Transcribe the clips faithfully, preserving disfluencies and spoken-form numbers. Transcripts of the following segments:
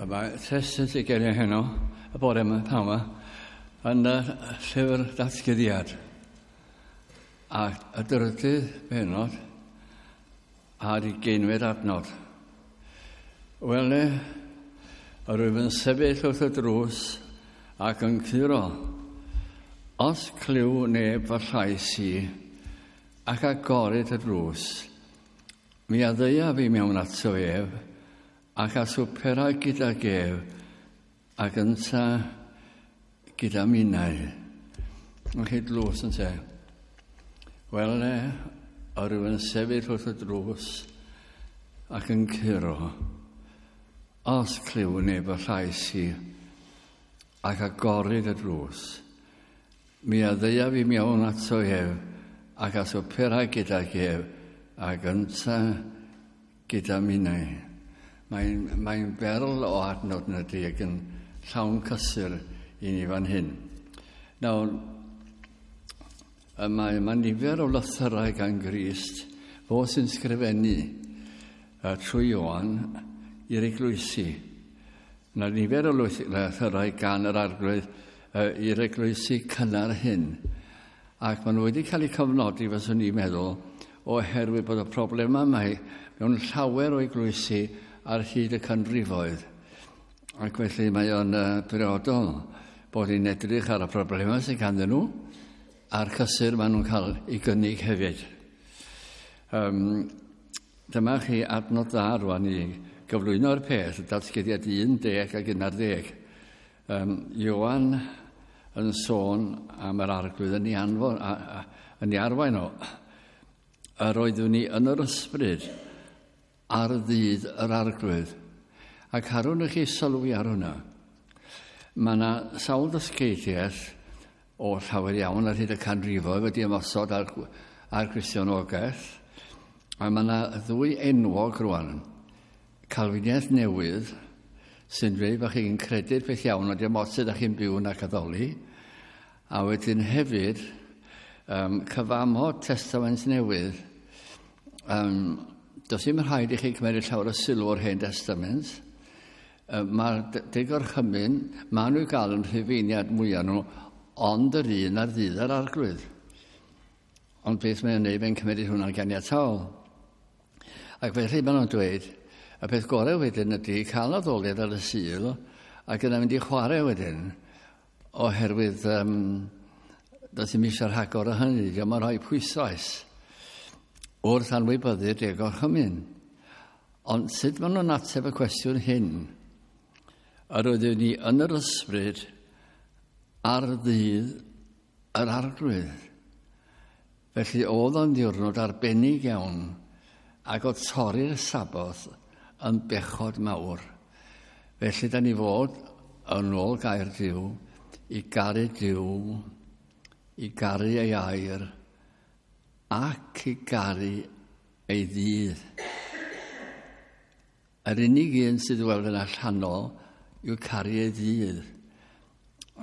Mae testun sydd gen i heno, y bore yma, pnawn yma, yn y llyfr Datguddiad. A y drydydd bennod a'r ugeinfed adnod. Wele, yr wyf yn sefyll wrth y drws ac yn curo. Os clyw neb fy llais i ac agoryd y drws, mi a ddeuaf i mewn ato ef, ac a swpera gydag ef, ac ynta gyda minnau. Yn chi dlws yn te. Wel, yr wyf yn sefyll wrth y drws ac yn curo. Os clyw neb y llais i ac agoryd y drws, mi a ddeuaf i mewn ato ef ac a swpera gydag ef ac ynta gyda minnau. Mae'n mae berl o adnod yn ydy ac yn llawn cysur i ni fan hyn. Nawr, mae, mae nifer o lythyrau gan Grist, fo sy'n sgrifennu uh, trwy Ioan i'r eglwysi. Mae nifer o lythyrau gan yr Arglwydd uh, i'r eglwysi cynnar hyn. Ac maen nhw wedi cael eu cofnodi, fyswn i'n meddwl, oherwydd bod y problemau yma mewn llawer o eglwysi ar hyd y canrifoedd. Ac felly mae o'n uh, briodol bod ni'n edrych ar y problemau sydd ganddyn nhw a'r cysur maen nhw'n cael ei gynnig hefyd. Um, dyma chi adnod dda rwan i gyflwyno'r peth, Datguddiad un deg ac un ar ddeg. Um, Ioan yn sôn am yr Arglwydd yn ei, anfon, a, a, yn ei arwain o. Yr oeddwn ni yn yr ysbryd ar ddydd yr Arglwydd. Ac harwn i chi sylwi ar hwnna. Mae yna sawl dysgeidiaeth o llawer iawn ar hyd y canrifoedd wedi ymosod ar, ar Gristionogaeth. A mae yna ddwy enwog rwan. Calfiniaeth newydd, sy'n dweud bod chi'n credu'r peth iawn, ond dim ots ydych chi'n byw yn ac addoli. A wedyn hefyd, um, cyfamod Testament Newydd. Um, does dim rhaid i chi cymryd llawer o sylw o'r Hen Testament. Mae'r deg orchymyn, maen nhw i gael yn rhufeiniad mwyaf nhw, ond yr un ar ddydd yr Arglwydd. Ond beth mae'n gwneud, mae'n cymryd hwnna'n ganiataol. Ac felly maen nhw'n dweud, y peth gorau wedyn ydy cael addoliad ar y Sul ac yna mynd i chwarae wedyn, oherwydd um, does dim eisiau rhagor o hynny, diolch yn rhoi pwyslais wrth anwybyddu'r deg orchymyn. Ond sut maen nhw'n ateb y cwestiwn hyn? Yr oeddwn ni yn yr ysbryd ar ddydd yr Arglwydd. Felly oedd o'n ddiwrnod arbennig iawn ac oedd torri'r Saboth yn bechod mawr. Felly da ni fod yn ôl gair Duw i garu Duw, i garu ei air ac i garu ei ddydd. Yr unig un sydd weld yn allanol yw caru ei ddydd.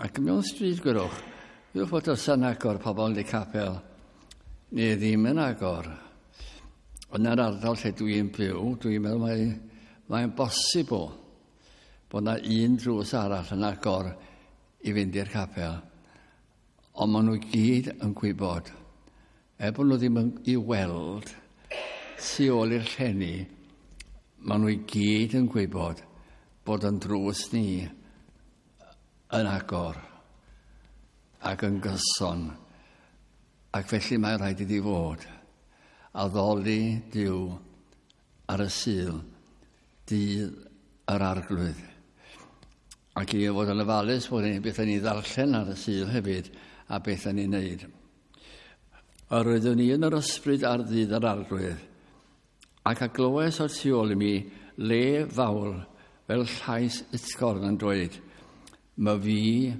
Ac mewn stryd gwyrwch, gwyrwch fod os yn agor pobl yn y capel, neu ddim yn agor. Yn yr ardal lle dwi'n byw, dwi'n meddwl mae, mae'n bosibl bod yna un drws arall yn agor i fynd i'r capel. Ond maen nhw gyd yn gwybod, er bod nhw ddim yn i weld tu ôl i'r llenni, maen nhw i gyd yn gwybod bod yn drws ni yn agor ac yn gyson. Ac felly mae rhaid iddi fod addoli Duw ar y Sul, dydd yr Arglwydd. Ac i fod yn ofalus bod ni beth ni ddarllen ar y Sul hefyd a beth ni'n neud. Yr oeddwn ni yn yr ysbryd ar ddydd yr Arglwydd, ac a glywais o'r tu ôl i mi le fawr fel llais utgorn yn dweud, "Ma fi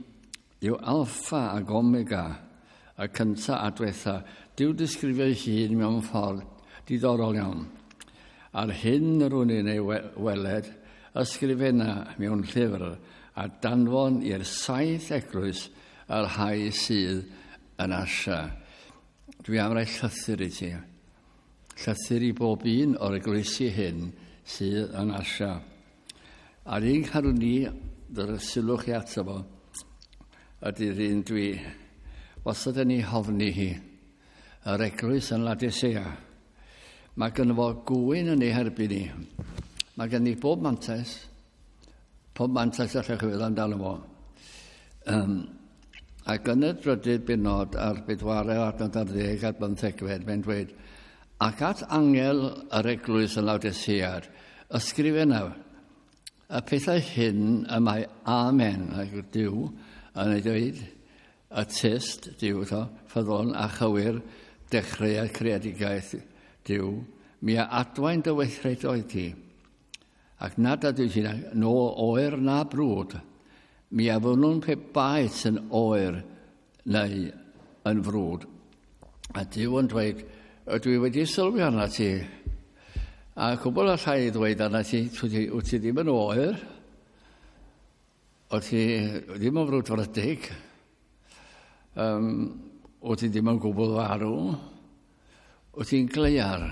yw Alpha ac Omega, y cynta a diwetha." Duw disgrifio ei hun mewn ffordd diddorol iawn. Ar hyn yr wn i'n ei weled, ysgrifenna mewn llyfr a danfon i'r saith eglwys yr rhai sydd yn Asia. Dwi am roi llythyr i ti. Llythyr i bob un o'r eglwysi hyn sydd yn Asia. A'r un carwn ni, dy'r sylwch chi ato fo, ydy'r un dwi wastad yn ei hofni hi, yr eglwys yn Laodicea. Mae gynno fo gŵyn yn ei herbyn ni. Mae gen i bob mantais, pob mantais allwch chi feddwl amdano fo. Um, ac yn y drydydd benod a'r bedwaredd adnod ar ddeg a'r bymthegfed, mae'n dweud, ac at angel yr eglwys yn Laodicea, ysgrifenna, y pethau hyn y mae Amen, ac Duw, yn ei dweud, y tyst, Duw, to, ffyddlon a chywir, dechreuad creadigaeth Duw, mi a adwaen dy weithredoedd ti, ac nad ydw ti'n no oer na brwd, mi a fynnwn pe baet yn oer neu yn frwd. A Duw yn dweud, ydw i wedi sylwi arna ti, a cwbl allai i ddweud arna ti, wyt ti ddim yn oer, wyt ti ddim yn frwdfrydig, um, wyt ti ddim yn gwbl farw, wyt ti'n gleiar,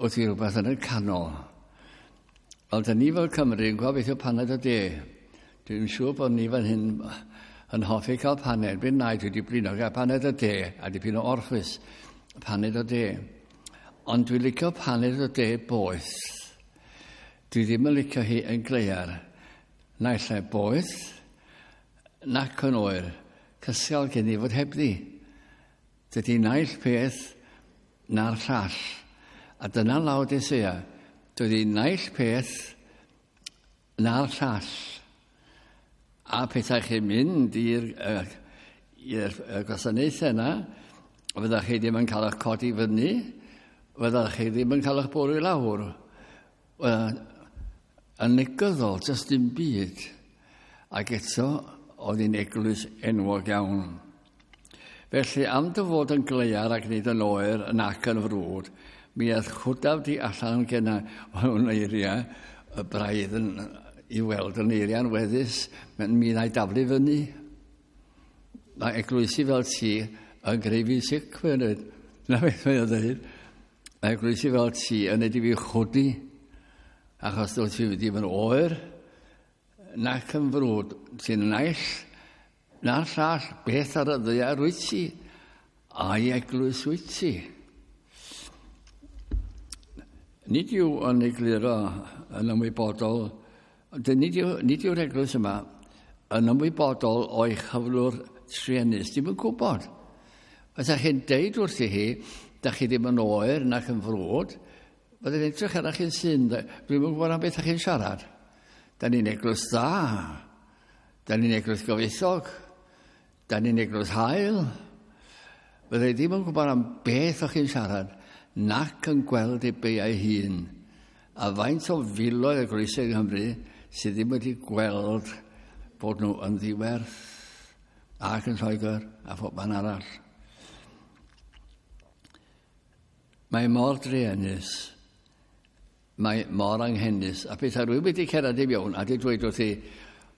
wyt ti rhywbeth yn y canol. Wel, dyn ni fel Cymru yn gweld beth yw paned o de. Dwi'n siŵr bod ni fan hyn yn hoffi cael paned. Byn nai dwi wedi blino gael paned o de a dipyn o orffwys, paned o de. Ond dwi'n licio paned o de boeth. Dwi ddim yn licio hi yn gleiar. Naill ai boeth, nac yn oer. Cysgal gen i fod hebddi. Dydy naill peth na'r llall. A dyna Laodicea. Dydy naill peth na'r llall. A pethau chi'n mynd i'r i'r gwasanaethau yna, fydda'ch chi ddim yn cael eich codi fyny, fydda'ch chi ddim yn cael eich bwrw i lawr. Yn negyddol, jyst dim byd. Ac eto, oedd hi'n eglwys enwog iawn. Felly, am dy fod yn gleiar ac nid yn oer nac yn frwd, mi aeth chwdaf di allan genna o'n eiriau, y braidd yn i weld yn eiriau'n weddus, mi wna i daflu fyny. Mae eglwysi fel ti yn greu fi sic, mae'n dweud. Na beth mae'n dweud. Mae eglwysi fel ti yn neud i fi chwdi, achos dwyt ti ddim yn oer, nac yn frwd. Ti'n naill, na'r llall, beth ar y ddaear wyt ti, a'i eglwys wyt ti. Nid yw yn egluro yn ymwybodol, nid yw, nid yw'r eglwys yma yn ymwybodol o'i chyflwr truenus, dim yn gwybod. Fysa chi'n deud wrthi hi, da chi ddim yn oer nac yn frwd, fydde'n edrych arach chi'n syn, dwi'm yn gwybod am beth chi'n siarad. Da ni'n eglwys dda, da ni'n eglwys gyfoethog, da ni'n eglwys hael. Fydde ddim yn gwybod am beth o'ch chi'n siarad, nac yn gweld ei beiau hun. A faint o filoedd eglwysau yng Nghymru sydd ddim wedi gweld bod nhw yn ddiwerth ac yn Lloegr a phob man arall. Mae mor druenus, mae mor anghenus, a pethau rwy'n wedi cerdded i mewn a di dweud wrthi,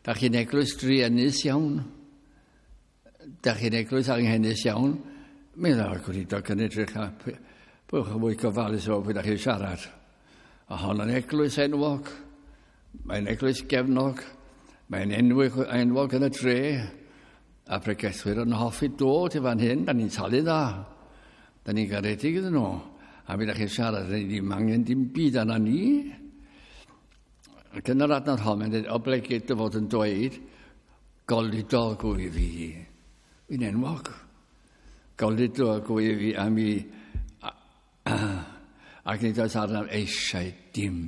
da chi'n eglwys druenus iawn, da chi'n eglwys anghenus iawn, mi ddaw'r gweinidog yn edrych a byddwch yn fwy gofalus efo pwy da chi'n siarad. A hon yn eglwys enwog, mae'n eglwys gefnog, mae'n enwog, enwog yn y dre, a pregethwyr yn hoffi dod i fan hyn, da ni'n talu dda, da ni'n garedig iddyn nhw, a mi da chi'n siarad, da ni ddim angen dim byd arna ni. Ac yn yr adnod hon, mae'n dweud, oblegid dy fod yn dweud, goludog wyf fi. Fi'n enwog. Goludog wyf fi a mi, ac nid oes arnaf eisiau dim.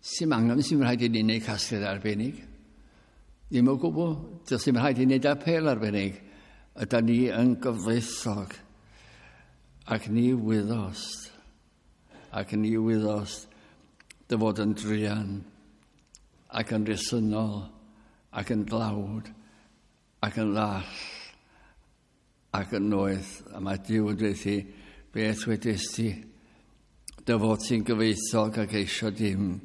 Sy'n angen, sy'n rhaid i ni wneud casgliad arbennig. Ddim o gwbl, does dim rhaid i ni wneud apêl arbennig. Yda ni yn gyfoethog. Ac ni wyddost, ac ni wyddost dy fod yn druan, ac yn resynol, ac yn dlawd, ac yn ddall, ac yn noeth. A mae Duw yn dweud thi, beth wedest ti, dy fod ti'n gyfoethog ac eisio dim,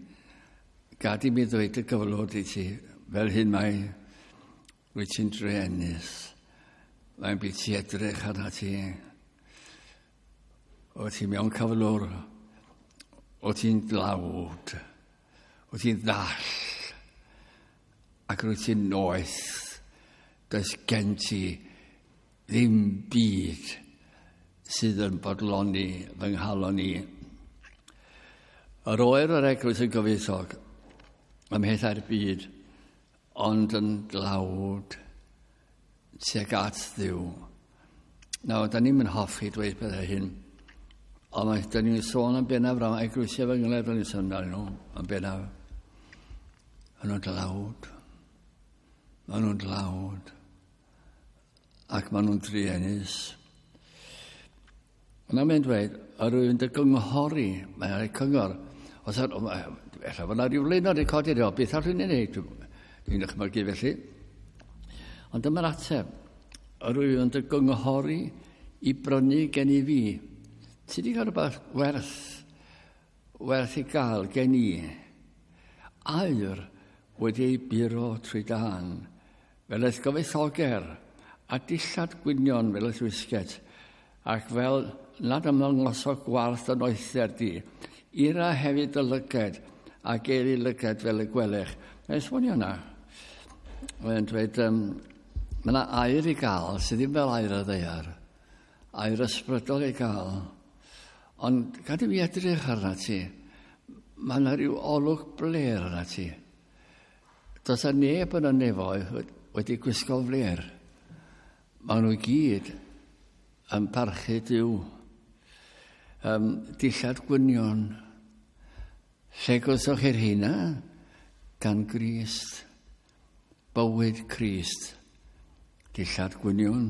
gad i mi ddweud y gyflwr i ti, fel hyn mae, wyt ti'n druenus, mae'n byd ti edrych arna ti. O ti mewn cyflwr, o ti'n dlawd, o ti'n ddall, ac rwyt ti'n noeth. Does gen ti ddim byd sydd yn bodloni fy nghalon i. Yr oer yr eglwys yn gyfoethog ym mhethau'r byd, ond yn dlawd tuag at Dduw. Nawr, da ni'n hoffi dweud pethau hyn, ond mae, da ni'n sôn am bennaf am eglwysi efengylaidd, da ni'n sôn amdanyn nhw yn bennaf. Maen nhw'n dlawd. Maen nhw'n dlawd. Ac maen nhw'n druenus. Yna mae'n dweud, yr wyf yn dy gynghori, mae'n rhoi cyngor. Os ar, ella fod yna rhyw flaenor wedi codi, o, beth allwn ni wneud? Dwi'n dychmygu felly. Ond dyma'r ateb. Yr wyf yn dy gynghori i brynu gen i fi. Ti wedi cael rhywbeth werth, werth i gael gen i. Aur wedi ei buro trwy dân, fel y'th gyfoethoger, a dillad gwynion fel y'th wisget, ac fel nad ymddangoso gwarth dy noether di. Ira hefyd dy lyged, ac gêr i lyged fel y gwelech. Mae'n esbonio yna. Mae'n dweud, um, mae yna aur i gael sydd ddim fel aur y ddaear. Aur ysbrydol i gael. Ond gad i fi edrych arna ti. Mae yna rhyw olwg blêr arna ti. Does yna neb yn y nefoedd wedi gwisgo flêr. Maen nhw i gyd yn parchu Duw. Um, dillad gwynion. Lle gwelsoch chi'r rheina? Gan Grist. Bywyd Crist. Dillad gwynion.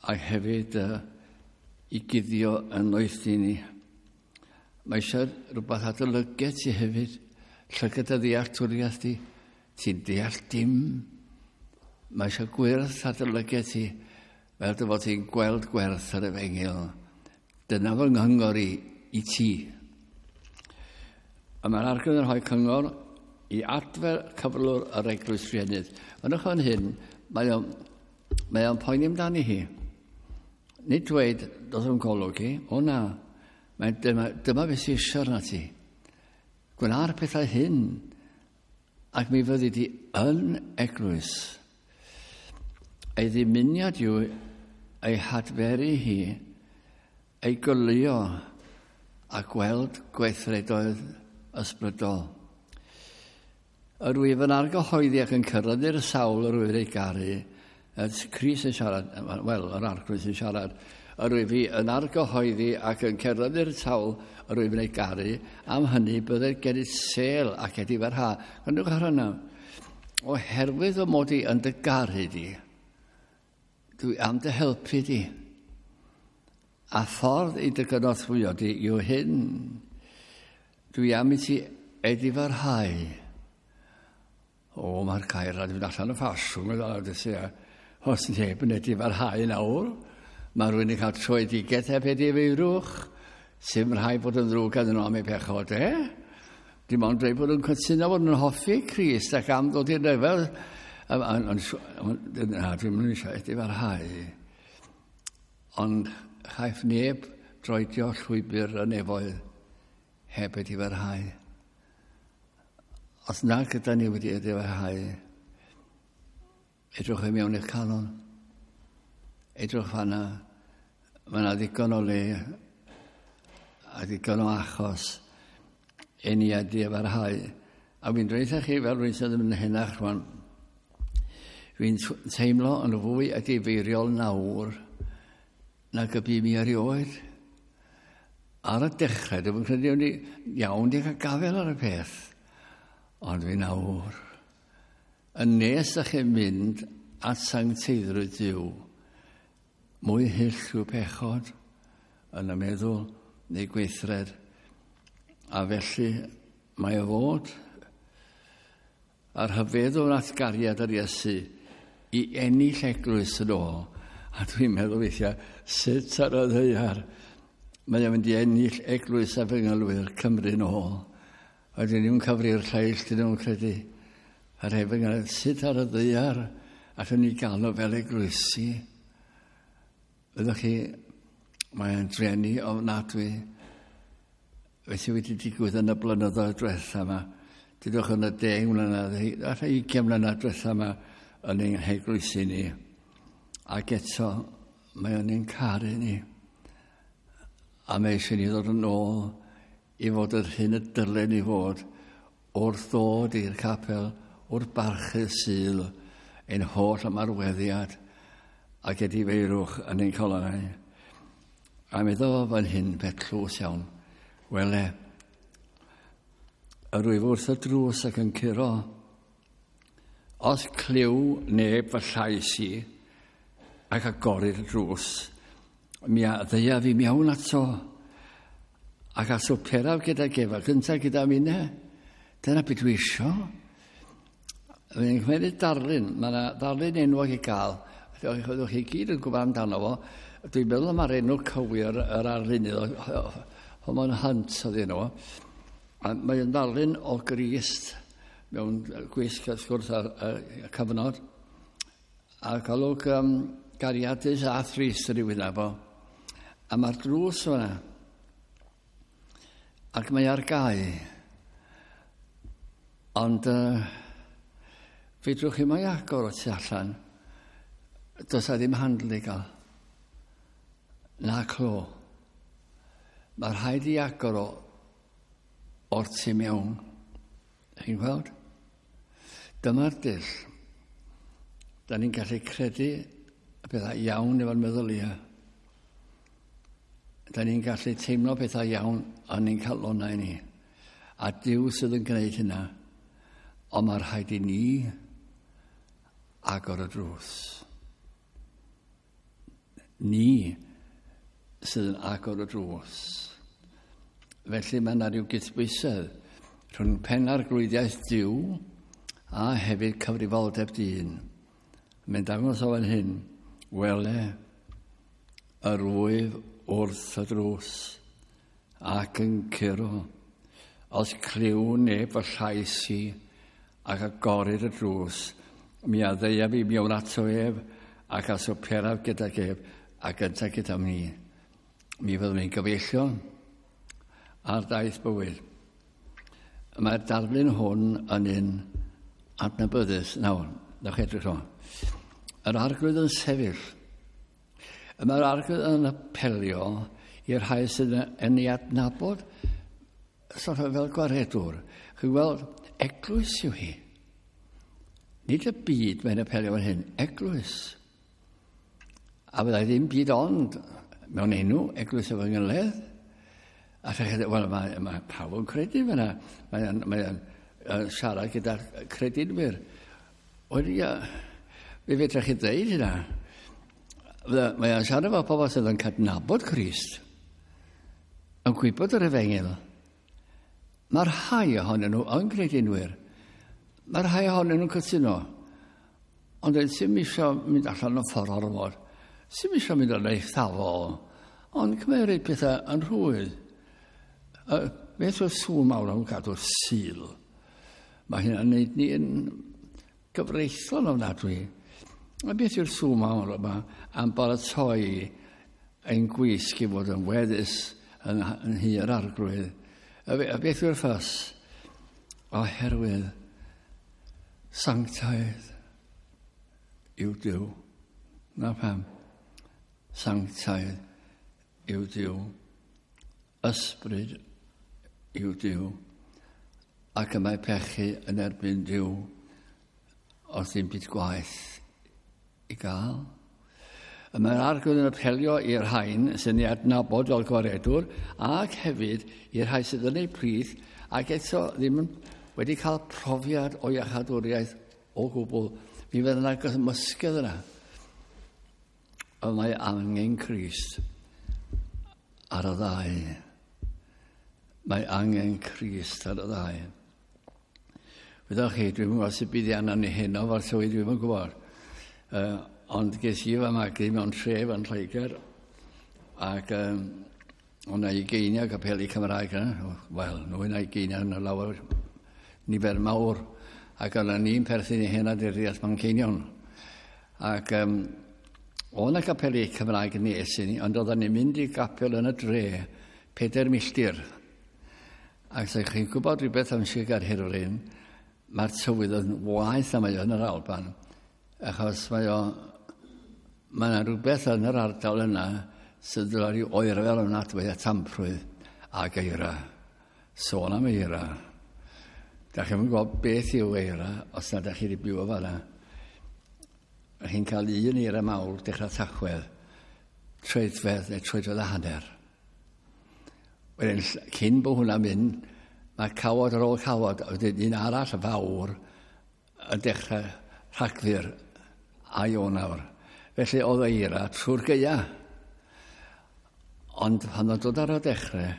A hefyd uh, i guddio yn noethni ni. Mae eisiau rhywbeth ar dy lyged ti hefyd. Llygad y ddealltwriaeth di. Ti'n deall dim. Mae eisiau gwyrth ar dy lyged ti, fel dy fod ti'n gweld gwerth yr efengyl. Dyna fy nghyngor i, i ti. A mae'r Arglwydd yn rhoi cyngor i adfer cyflwr yr eglwys rhiennydd. Yn fan hyn, mae o'n, mae o'n poeni amdani hi. Nid dweud, dos o'n golwg hi, o na, mae'n dyma, dyma beth sy'n eisiau arna ti. Gwna'r pethau hyn, ac mi fyddi di yn eglwys. Ei ddymuniad yw ei hadferu hi, ei goleuo a gweld gweithredoedd ysbrydol. Yr wyf yn argyhoeddi ac yn cyrraedd sawl yr wyf ei garu, Crist yn siarad, wel, yr Arglwydd sy'n siarad, yr wyf fi yn argyhoeddi ac yn cyrraedd i'r sawl yr wyf yn ei garu, am hynny byddai gen i sêl ac edifarhad. Gwrandwch ar hynna. Oherwydd fy mod i yn dy garu di, dwi am dy helpu di. A ffordd i dy gynorthwyo di yw hyn. Dwi am i ti edifarhau. O, mae'r gair a dwi'n allan o ffasiwn, os neb yn edifarhau nawr, mae rhywun yn cael troedigaeth heb edifeirwch, sy'n rhaid bod yn ddrwg ganddyn nhw am eu pechod, e? Dim ond dweud bod yn cytuno bod yn hoffi Crist ac am ddod i'r lefel. Na, dwi'n mynd eisiau edifarhau. Ond chaiff neb droedio llwybr y nefoedd heb edifarhau. Os na gyda ni wedi edifarhau, edrych i mewn i'ch calon. Edrych fanna, mae yna ddigon o le a ddigon o achos i ni edifarhau. A fi'n dweud chi fel rhywun sydd yn henach rwan, fi'n teimlo yn fwy edifeiriol nawr nag y bu mi erioed. Ar y dechrau, dwi'n credu o'n i iawn di cael gafael ar y peth. Ond fi nawr, yn nes â chi'n mynd at sancteiddrwydd Duw, mwy hyll yw pechod yn y meddwl neu gweithred. A felly mae o fod a'r rhyfeddol at gariad yr Iesu i ennill eglwys yn ôl. A dwi'n meddwl weithiau, sut ar y ddaear mae o'n mynd i ennill eglwys efengylwyr Cymru yn ôl. A dyn nhw'n cyfri'r lleill, dyn nhw'n credu. A'r efengyl, sut ar y ddaear allwn ni gael nhw fel eglwysi? Fyddwch chi, Mae'n drueni ofnadwy. Felly wedi digwydd yn y blynyddoedd diwetha yma. Dydwch yn y deg mlynedd, falle ugain mlynedd diwetha yma yn ein heglwysi ni. Ac eto, mae o'n ein caru ni. A mae eisiau ni ddod yn ôl i fod yr hyn y dylen ni fod wrth ddod i'r capel, wrth barchu Sul, ein holl ymarweddiad ac edifeirwch yn ein calonnau. A meddwl fan hyn, peth tlws iawn, wele, yr wyf wrth y drws ac yn curo. Os clyw neb fy llais i ac agorir y drws, mi a ddeuaf i mewn ato ac a swperaf gydag ef, ac yntau gyda minne. Dyna beth dwi isio. Mae'n cymryd darlun, mae yna darlun enwog i gael. Ydych chi gyd yn gwybod amdano fo. Dwi'n meddwl mae'r enw cywir yr arlunydd, Holman Hunt oedd enw. A mae'n darlun o Grist mewn gwisg wrth gwrs ar y cyfnod. A golwg um, gariadus a thrist yn ei wyneb o. A mae'r drws fyna. Ac mae ar gau. Ond uh, fedrwch chi mai agor o tu allan. Does a ddim handle i gael. Na clo. Mae rhaid i agor o o'r tu mewn. Chi'n gweld? Dyma'r dull. Da ni'n gallu credu y pethau iawn efo'n meddyliau. Da ni'n gallu teimlo pethau iawn yn ein calonnau ni. A Duw sydd yn gwneud hynna. Ond mae rhaid i ni agor y drws. Ni sydd yn agor y drws. Felly mae yna rhyw gydbwysedd rhwng penarglwyddiaeth Duw a hefyd cyfrifoldeb dyn. Mae'n dangos o fan hyn, wele, yr wyf wrth y drws ac yn curo. Os clyw neb fy llais i ac agorir y drws, mi a ddeuaf i mewn ato ef ac a swperaf gydag ef ac yntau gyda mi. Mi fyddwn ni'n gyfeillion ar daith bywyd. Mae'r darlun hwn yn un adnabyddus. Nawr, ddewch edrych o. Yr Arglwydd yn sefyll. Mae'r Arglwydd yn apelio i'r rhai sydd yn ei adnabod sort of fel gwaredwr. Chi'n gweld, eglwys yw hi. Nid y byd mae'n apelio fan hyn, eglwys. A fyddai ddim byd ond mewn enw Eglwys Efengylaidd. A chi, wel, mae, mae pawb yn credu fyna. Mae'n mae uh, siarad gyda'r credinwyr. Wel, ia, fe fedrwch chi ddeud hynna. Mae'n siarad efo pobl sydd yn cydnabod Crist, yn gwybod yr efengyl. Mae'r rhai ohonyn nhw yn credinwyr. Mae'r rhai ohonyn nhw'n cytuno. Ond sy'm eisiau mynd allan o ffordd ormod. Sy'm eisiau mynd yn eithafol. Ond cymeryd pethau yn rhwydd. Uh, beth yw'r sŵn mawr am gadw'r Sul? Mae hynna'n neud ni yn gyfreithlon ofnadwy. A beth yw'r sŵn mawr yma am baratoi ein gwisg i fod yn weddus yn, yn nhŷ'r Arglwydd? A, a beth yw'r ffas? Oherwydd sanctaidd yw Duw. Na pam. Sanctaidd yw Duw. Ysbryd yw Duw. Ac y mae pechu yn erbyn Duw os ddim byd gwaeth i gael. Y mae'r Arglwydd yn apelio i'r rhain sy'n ei adnabod fel gwaredwr ac hefyd i'r rhai sydd yn eu plith ac eto ddim wedi cael profiad o iachadwriaeth o gwbl. Mi fydd yna gymysgedd yna. Ond mae angen Crist ar y ddau. Mae angen Crist ar y ddau. Wyddoch chi, dwi'm yn gwybod sut bydd arnon ni heno fo'r tywydd, dwi'm yn gwybod. Uh, ond ges i fy magu mewn tref yn Lloegr ac um, o'na ugeiniau capeli Cymraeg yna. Wel, nwy na ugeiniau yna lawer nifer mawr. Ac o'na ni'n perthyn i hen aduriaeth Manceinion. Ac um, O na gapeli Cymraeg nes i ni, ond oedden ni'n mynd i gapel yn y dre, pedair milltir. Ac os chi'n gwybod rhywbeth am Sir Gaerhirfryn, mae'r tywydd yn waeth na mae o yn yr Alban, achos mae o, mae yna rhywbeth yn yr ardal yna sydd yn rhyw oerfel ofnadwy a tamprwydd ac eira. Sôn am eira. Da chi'n gwybod beth yw eira os na da chi wedi byw o fanna. Chi'n cael un eira mawr dechrau Tachwedd, troedfedd neu troedfedd a hanner. Wedyn, cyn bod hwnna'n mynd, mae cawod ar ôl cawod, a wedyn un arall fawr yn dechrau Rhagfyr a Ionawr. Felly oedd eira trwy'r gaea. Ond pan oedd dod ar y dechrau,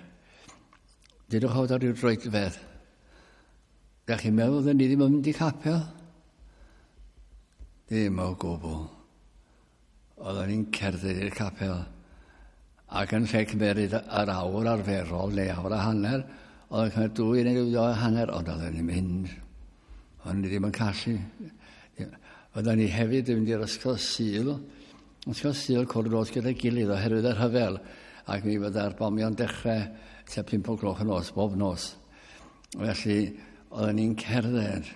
dydwch oedd ar ryw droedfedd. Da chi'n meddwl oedden ni ddim yn mynd i capel? Ddim o gwbl. Oedden ni'n cerdded i'r capel. Ac yn lle cymeryd yr awr arferol neu awr a hanner, oedd yn cymryd dwy neu dwy a hanner, ond oedden ni'n mynd. Oedden ni ddim yn callu. Oedden ni hefyd yn mynd i'r ysgol Sul. Ysgol Sul cwrdd nos gyda'i gilydd oherwydd y rhyfel. Ac mi fydda'r bomio'n dechrau tua pump o gloch y nos, bob nos. Felly, oedden ni'n cerdded.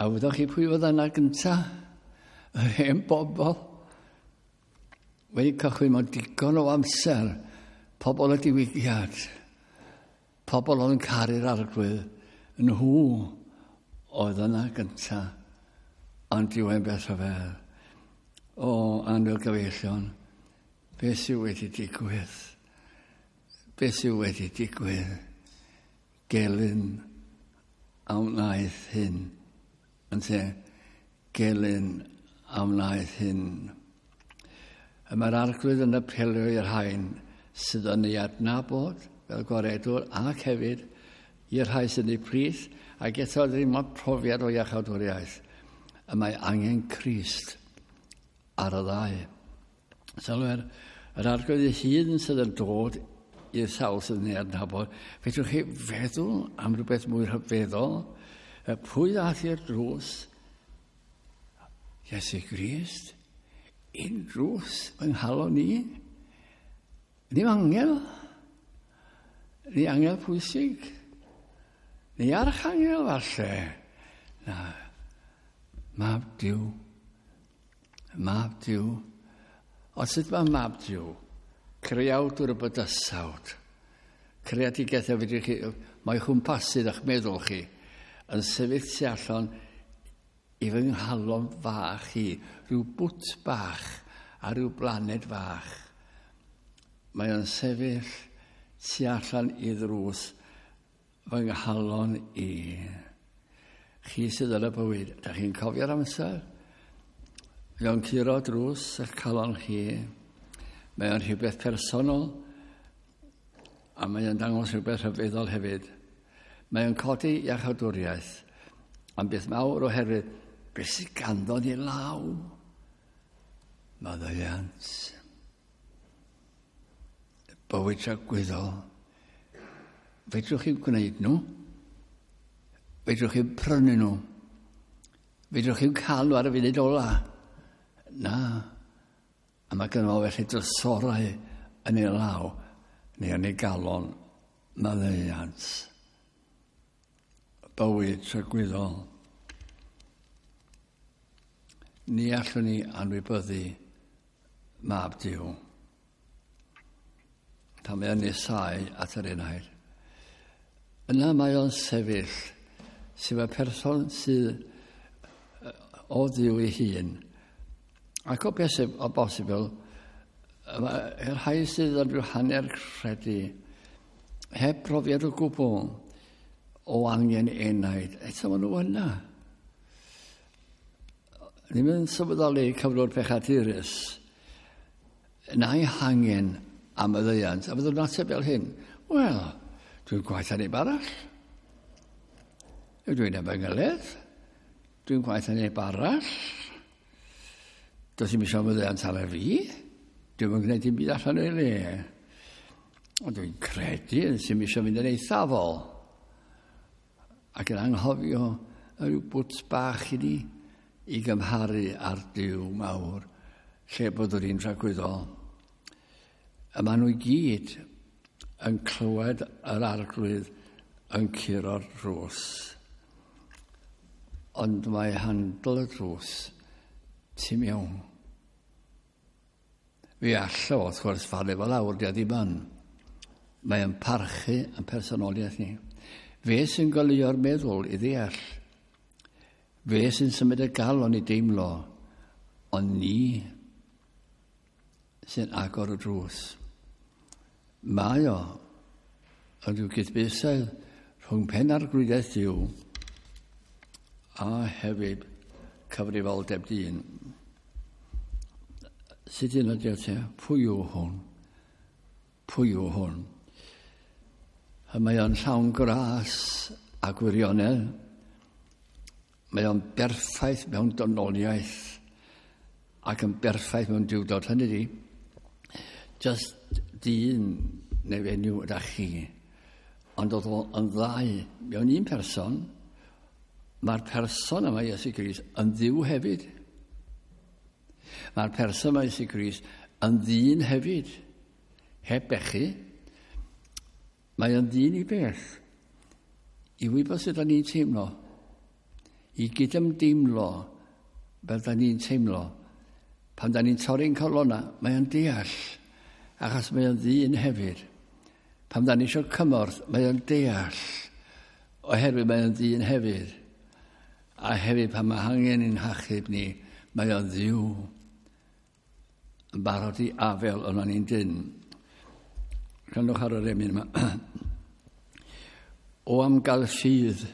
A wyddoch chi pwy oedd yna gynta? Yr hen bobl. Wedi cychwyn mewn digon o amser. Pobl y diwygiad. Pobl oedd yn caru'r Arglwydd. Nhw oedd yna gynta. Ond diwen beth rhyfedd. O, annwyl gyfeillion, beth sydd wedi digwydd? Beth sydd wedi digwydd? Gelyn a wnaeth hyn. Ynte, gelyn a wnaeth hyn. Y mae'r Arglwydd yn apelio i'r rhain sydd yn ei adnabod fel gwaredwr ac hefyd i'r rhai sydd yn ei plith ac eto ddim ond profiad o iachawdwriaeth. Y mae angen Crist ar y ddau. Sylwer, yr Arglwydd ei hun sydd yn dod i'r sawl sydd yn ei adnabod. Fedrwch chi feddwl am rhywbeth mwy rhyfeddol? Pwy ddaeth i'r drws? Iesu Grist. Un drws yng nghalon ni. Ddim angel. Ni angel pwysig. Ni archangel falle. Na. Mab Duw. Mab Duw. Ond sut mae Mab Duw? Creawdwr y bydysawd. Creadigaeth a fedrwch chi, mae chwmpasydd a'ch meddwl chi yn sefyll tu allan i fy nghalon fach i, rhyw bwt bach a rhyw blaned fach. Mae o'n sefyll tu allan i ddrws fy nghalon i. Chi sydd yn y bywyd, da chi'n cofio'r amser? Mae o'n curo drws eich calon chi. Mae o'n rhywbeth personol a mae o'n dangos rhywbeth rhyfeddol hefyd. Mae o'n codi iachawdwriaeth am beth mawr oherwydd beth sydd ganddo ni law. Maddeuant. Bywyd tragwyddol. Fedrwch chi'n gwneud nhw? Fedrwch chi'n prynu nhw? Fedrwch chi'n cael nhw ar y funud ola? Na. A mae gynno fo felly drysorau yn ei law neu yn ei galon maddeuant. Bywyd tragwyddol. Ni allwn ni anwybyddu Mab Duw. Pan mae o'n nesáu at yr enaid. Yna mae o'n sefyll, sef y person sydd o Dduw ei hun. Ac o beth o bosibl, mae'r rhai sydd yn rhyw hanner credu, heb brofiad o gwbl o angen enaid, eto maen nhw yna. Ddim yn sylweddoli cyflwr pechadurus, na'i hangen am y ddeiant, a fyddwn ateb fel hyn. Wel, dwi'n gwaith neb arall. Dwi'n efengylydd. Dwi'n gwaith neb arall. Does dim eisiau maddeuant ar fi. Dwi'm yn gwneud dim byd allan o'i le. Ond dwi'n credu sy'n eisiau mynd yn eithafol. Ac yn anghofio rhyw bwt bach i ni i gymharu â'r Duw mawr lle byddwn ni'n tragwyddol. A maen nhw i gyd yn clywed yr Arglwydd yn curo'r drws. Ond mae handl y drws tu mewn. Fi allo, wrth gwrs, falu fo lawr, di a ddim yn. Mae yn parchu yn personoliaeth ni. Fe sy'n goleuo'r meddwl i ddeall. Fe sy'n symud y galon i deimlo. Ond ni sy'n agor y drws. Mae o yn rhyw gydbwysedd rhwng penarglwyddiaeth Duw a hefyd cyfrifoldeb dyn. Sut un ydy o te? Pwy yw hwn? Pwy yw hwn? A mae o'n llawn gras a gwirionedd. Mae o'n berffaith mewn dynoliaeth ac yn berffaith mewn duwdod. Hynny di, just dyn neu fenyw ydych chi, ond oedd o'n ddau mewn un person, mae'r person yma, Iesu Grist, yn Dduw hefyd. Mae'r person yma, Iesu Grist, yn ddyn hefyd, heb bechu. Mae o'n ddyn i beth, i wybod sut da ni'n teimlo, i gydymdeimlo fel da ni'n teimlo. Pan da ni'n torri'n colonna, mae o'n deall, achos mae o'n ddyn hefyd. Pan da ni eisiau cymorth, mae o'n deall, oherwydd mae o'n ddyn hefyd. A hefyd pan mae angen i'n hachub ni, mae o'n Dduw yn barod i afel yna ni'n dyn. Gwrandwch ar yr emyn yma. O am gael ffydd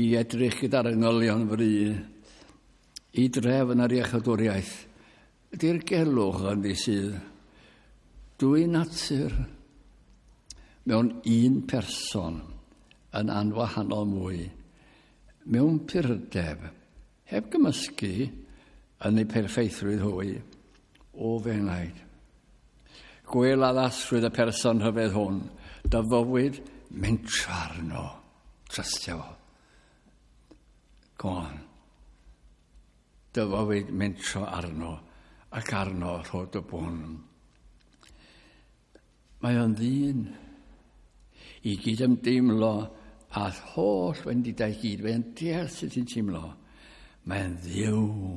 i edrych gyda'r angylion fry, i drefn ar iechydwriaeth, dirgelwch ynddi sydd, dwy natur mewn un person yn anwahanol mwy, mewn purdeb, heb gymysgu yn ei perffeithrwydd hwy, o f'enaid. Gwel addasrwydd y person rhyfedd hwn, dy fywyd mentro arno, trystio fo. Go on. Dy fywyd mentro arno ac arno rho dy bwn. Mae o'n ddyn i gydymdeimlo â'r holl wendidau gyd. Mae'n deall sut ti'n teimlo. Mae'n Dduw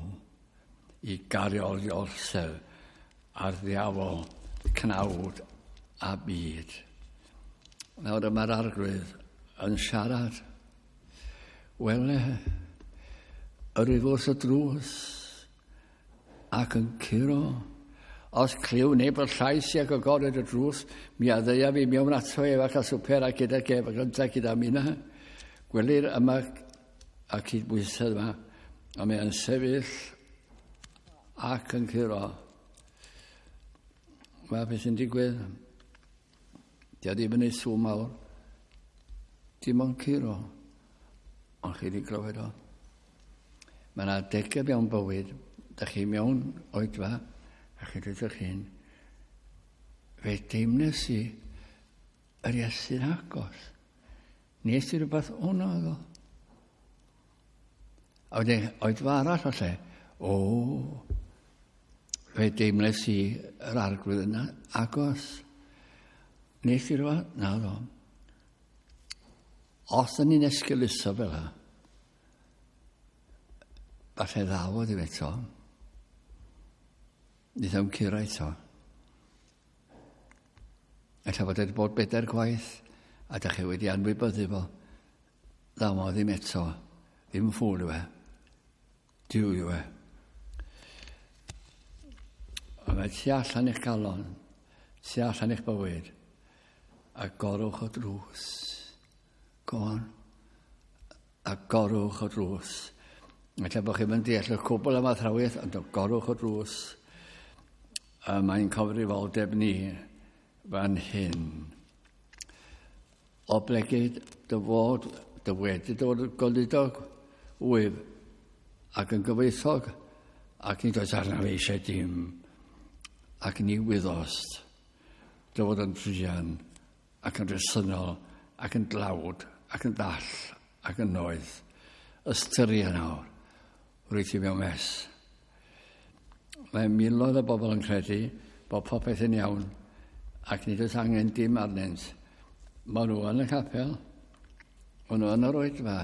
i gario orsedd ar ddiafol, cnawd a byd. Nawr yma'r Arglwydd yn siarad. Wele, yr wyf wrth y drws ac yn curo. Os clyw neb y llais i ac agored y drws, mi a ddeuaf i mewn ato ef ac a swper a gyda gef ac yntau gyda minna. Gwelir yma y cydbwysedd yma, a mae yn sefyll ac yn curo. Mae beth sy'n digwydd. Di o ddim yn ei sŵn mawr. Dim ond curo. Ond chi wedi glywed o. Mae yna adegau mewn bywyd. Da chi mewn oedfa, a chi dweud eich hun, fe deimles i yr Iesu'n agos. Nes i rhywbeth o'na oedd o. A wedyn oedfa arall o lle, o, fe deimles i yr Arglwydd yna agos. Nes i rhywbeth? Na ddo. Os ydyn ni'n esgeuluso fel yna, falle ddaw o ddim eto. Nid am curo eto. Ella fod wedi bod bedair gwaith, a da chi wedi anwybyddu fo. Ddaw o ddim eto. Ddim ffŵl yw e. Duw yw e. A mae tu allan i'ch galon, tu allan i'ch bywyd, agorwch y drws. Go on. Agorwch y drws. Ella bod chi'n mynd deall y cwbl am athrawiaeth, ond agorwch y drws. A mae'n cyfrifoldeb ni fan hyn. Oblegid dy fod, dy wedi dod yn goludog wyf ac yn gyfoethog, ac nid oes arnaf eisiau dim, ac ni wyddost dy fod yn druan ac yn resynol ac yn dlawd ac yn ddall ac yn noeth. Ystyria nawr, rwyt ti mewn mes. Mae miloedd o bobl yn credu bod popeth yn iawn ac nid oes angen dim arnynt. Maen nhw yn y capel, maen nhw yn yr oedfa.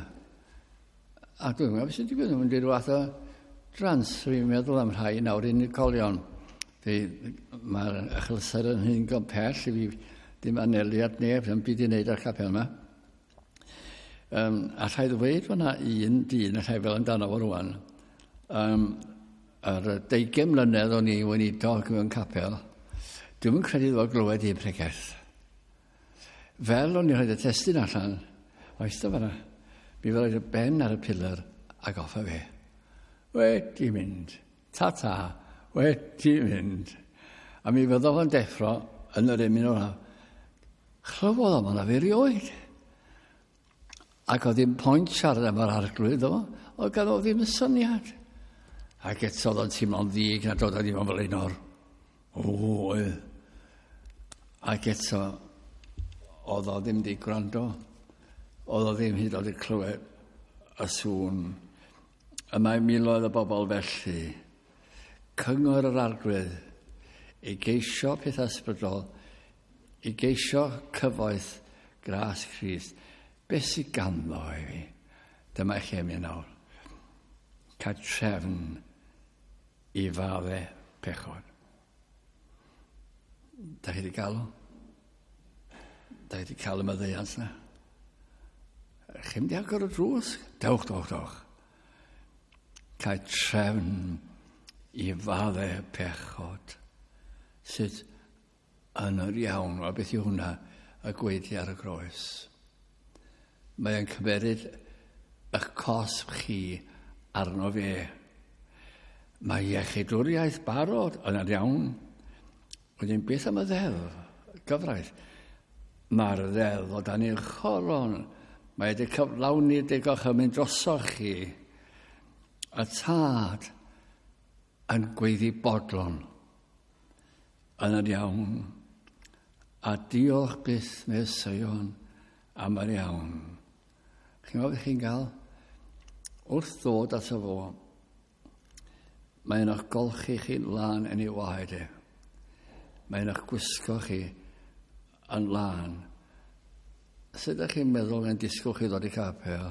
A dwi'n meddwl beth sy'n digwydd, nhw'n mynd i ryw fath o drans. Dwi'n meddwl am rhai nawr unigolion. Mae'r achlysur yn hyn go pell i fi ddim anelu at neb, ddim byd i wneud â'r capel yma. Um, a rhaid ddweud fod yna un dyn, a rhaid fel amdano fo rwan, um, ar y deugain mlynedd o'n i weinidog mewn capel, dwi'm yn credu iddo fo glywed un pregeth. Fel o'n i'n rhaid y testun allan, o eistedd fan'na, mi fe roed y ben ar y pillar ac off â fe. Wedi mynd. Ta-ta. Wedi mynd. A mi fyddo fo'n deffro yn yr emyn ola. Chlywodd o hwnna fe erioed. Ac oedd ddim pwynt siarad am yr arglwydd o, oedd ganddo ddim syniad. Ac eto oedd o'n teimlo'n ddig na dod o ddim yn flaenor. O, oedd. Ac eto, oedd o ddim di gwrando. Oedd o ddim hyd yn oed wedi clywed y sŵn. Y mae miloedd o bobl felly. Cyngor yr arglwydd i geisio pethau ysbrydol, i geisio cyfoeth gras Crist. Beth sydd ganddo i fi? Dyma lle mi nawr. Cael trefn i fadde pechod. Da chi wedi cael o? Da chi wedi cael y maddeuant na? Chi'n mynd i agor y drws? Dewch, dewch, dewch. Cael trefn i fadde pechod. Sut yn yr iawn, a beth yw hwnna, y gweithio ar y groes. Mae'n cymeryd eich cosb chi arno fe. Mae iechydwriaeth barod yn yr iawn. Wedyn beth am y ddeddf, gyfraith? Mae'r ddeddf o dan i'ch choron. Mae wedi cyflawni digoch yn mynd drosoch chi. Y tad yn gweiddi bodlon yn yr iawn. A diolch byth mewn Seion am yr iawn. Chi'n meddwl beth chi'n gael? Wrth ddod ato fo, mae'n eich golchi chi'n lân yn ei waed e. Mae'n eich gwisgo chi yn lân. Sut ydych chi'n meddwl yn disgwyl chi ddod i capel?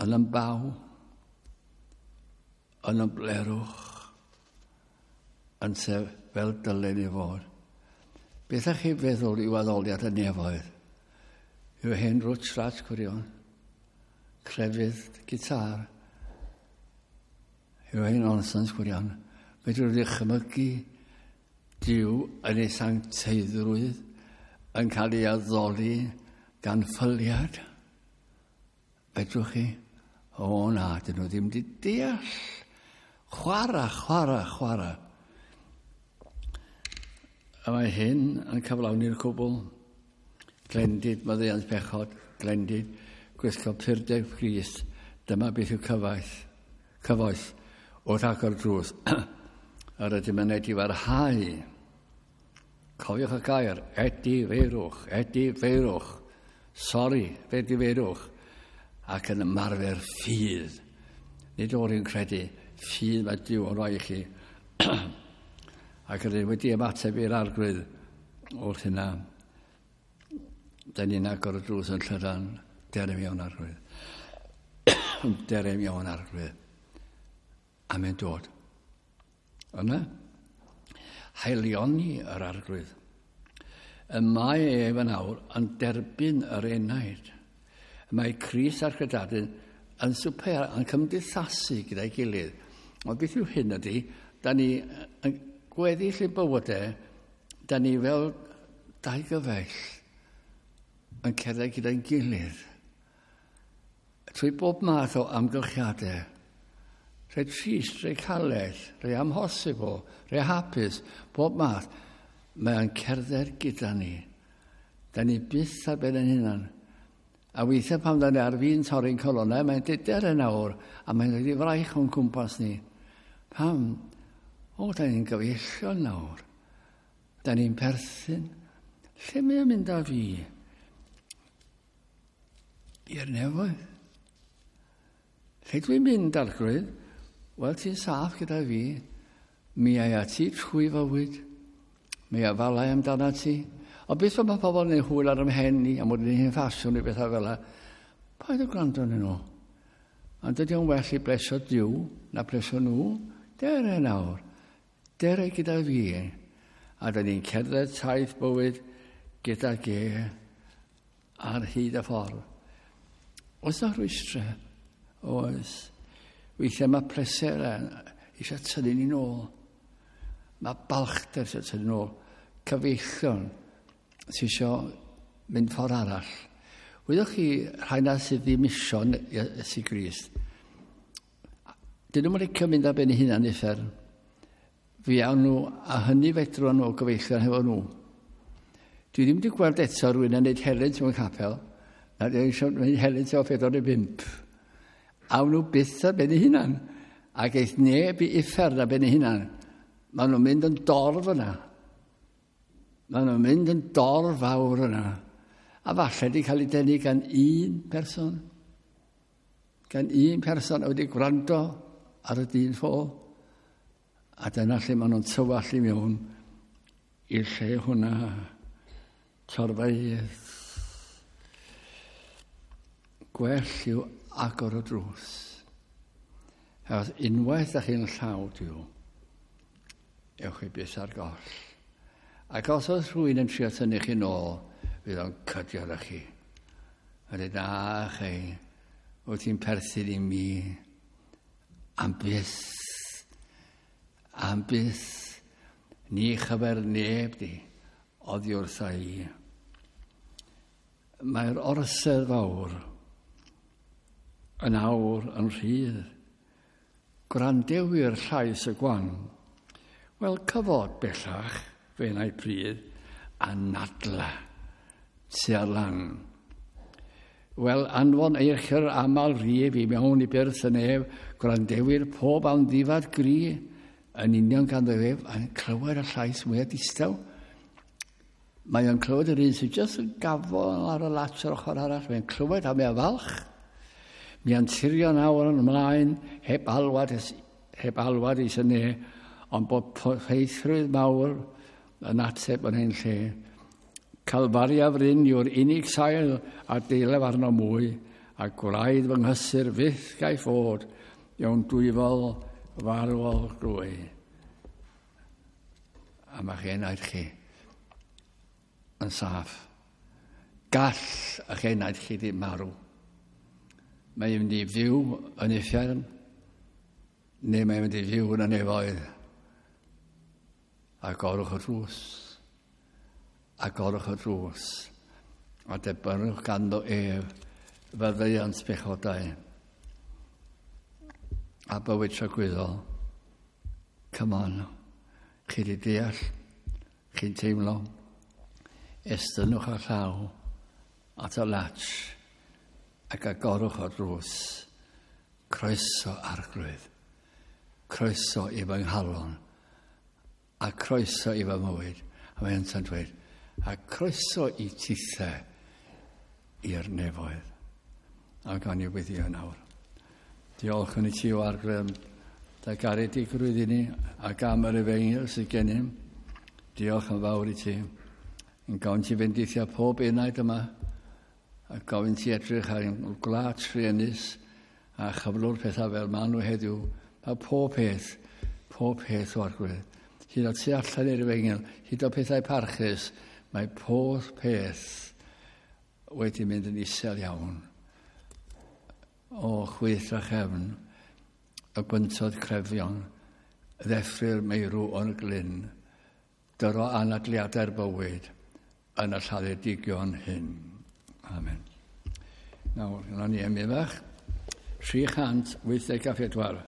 Yn ymbaw, yn ymblerwch, yn sef fel dylen i fod. Beth ydych chi'n feddwl i'w addoliad y nefoedd? Yw hen rwtsh ratsh gwirion, crefydd, gitar, yw hen nonsens gwirion. Fedrwch chi ddychmygu Duw yn ei sancteiddrwydd yn cael ei addoli gan ffyliad? Fedrwch chi? O na, dyn nhw ddim wedi deall. Chwara, chwara, chwara. A mae hyn yn cyflawni'r cwbl. Glendid, maddeuant pechod, glendid, gwisgo purdeb Crist. Dyma beth yw cyfaith, cyfoeth wrth agor drws. A rydym yn edifarhau. Cofiwch y gair, edifeirwch, edifeirwch. Sori, edifeirwch. Ac yn ymarfer ffydd. Nid o'r un credu, ffydd mae Duw yn rhoi i chi. Ac rydym wedi ymateb i'r arglwydd wrth hynna. Da ni'n agor y drws yn llydan. Dere mewn arglwydd. Dere mewn arglwydd. A mae'n dod. Yna, haelioni yr arglwydd. Y mae ef yn awr yn derbyn yr enaid. Y mae Crist a'r credadun yn swper, yn cymdeithasu gyda'i gilydd. Ond beth yw hyn ydy, da ni yn gweddill ein bywydau, da ni fel dau gyfaill yn cerdded gyda'n gilydd. Trwy bob math o amgylchiadau, rhai trist, rhai caled, rhai amhosibl, rhai hapus, bob math, mae'n cerdded gyda ni. Da ni byth ar ben ein hunan. A weithiau pan da ni ar fin torri'n colonnau, mae'n deder yn awr, a mae'n dod i fraich o'n cwmpas ni. Pam? O, da ni'n gyfeillion nawr. Da ni'n perthyn. Lle mae'n mynd â fi? I'r nefoedd. Lle dwi'n mynd, arglwydd? Wel, ti'n saff gyda fi. Mi ai a ti trwy fywyd. Mi afalai amdana ti. Ond beth mae pobl yn ei hwyl ar ymhen i, am bod yn hen ffasiwn i bethau fel yna, paid o gwrando arnyn nhw. Ond dydy o'n well i blesio Duw na plesio nhw. Dere nawr. Dere gyda fi. A dyn ni'n cerdded taith bywyd gyda ge ar hyd y ffordd. Oes na rwystrau? Oes. Weithiau mae pleser eisiau tynnu ni'n ôl. Mae balchder eisiau tynnu ni'n ôl. Cyfeillion sydd eisiau mynd ffordd arall. Wyddoch chi rhai na sydd ddim isio Iesu Grist. Dyn nhw'n licio mynd ar ben eu hunan uffern. Fi awn nhw, a hynny fedrwn nhw gyfeillion hefo nhw. Dwi ddim wedi gweld eto rhywun yn gwneud helynt mewn capel, na dwi eisiau gwneud helynt efo pedwar neu bump. Awn nhw byth ar ben eu hunan, ac eith neb i uffern ar ben eu hunan. Maen nhw'n mynd yn dorf yna. Maen nhw'n mynd yn dorf fawr yna. A falle wedi cael ei denu gan un person. Gan un person a wedi gwrando ar y dyn ffôl. A dyna lle maen nhw'n tywallt i mewn i'r lle hwnna. Torfeydd. Gwell yw agor y drws. Achos unwaith ydych chi'n llaw Duw, ewch chi byth ar goll. Ac os oes rhywun yn trio tynnu chi nôl, fydd o'n cydio arach chi. A dweud, na chi, wyt ti'n perthyn i mi am byth, am byth, ni chyfer neb di oddi wrtha i. Mae'r orsedd fawr yn awr yn rhydd. Gwrandewyr llais y gwan. Wel, cyfod bellach, fe na'i pryd, a nadla tua'r lan. Wel, anfon eich yr aml rif i mewn i byrth y nef, gwrandewyr pob amddifad gri, yn union ganddo ef, a'n clywed y llais mwyaf distaw. Mae o'n clywed yr un sydd jyst yn gafel ar y latch ar ochr arall. Mae'n clywed a mae'n falch. Mi anturio nawr yn ymlaen, heb alwad, heb alwad i syne, ond bod ffeithrwydd mawr yn ateb yn ein lle. Calfaria fryn yw'r unig sail a deilef arno mwy, a gwraidd fy nghysur fyth gai ffod, mewn dwyfol farwol grwy. A mae'ch enaid chi yn saff. Gall eich enaid chi ddim marw. Mae'n mynd i fyw yn uffern, neu mae'n mynd i fyw yn y nefoedd. Agorwch y drws. Agorwch y drws. A debynnwch ganddo ef faddeuant bechodau a bywyd tragwyddol. Come on. Chi wedi deall, chi'n teimlo. Estynnwch â llaw at y latch ac agorwch o drws. Croeso Arglwydd. Croeso i fy nghalon. A croeso i fy mywyd. A mae yntau'n dweud, a croeso i tithau i'r nefoedd. A gawn ni weddïo nawr. Diolch yn i ti o Arglwydd am dy garedigrwydd i ni ac am yr efengyl sydd gennym. Diolch yn fawr i ti. Yn gofyn ti fendithio pob enaid yma a gofyn ti edrych ar ein gwlad truenus a chyflwr pethau fel maen nhw heddiw. Mae pob peth, pob peth o Arglwydd. Hyd o tu allan i'r efengyl, hyd o pethau parchus, mae pob peth wedi mynd yn isel iawn. O chwith a chefn, y gwyntoedd crefion, ddeffry'r meirw o'n glyn, dyro anadliadau'r bywyd yn y lladdedigion hyn. Amen. Nawr, yna ni emyn fach, tri chant wyth deg a phedwar.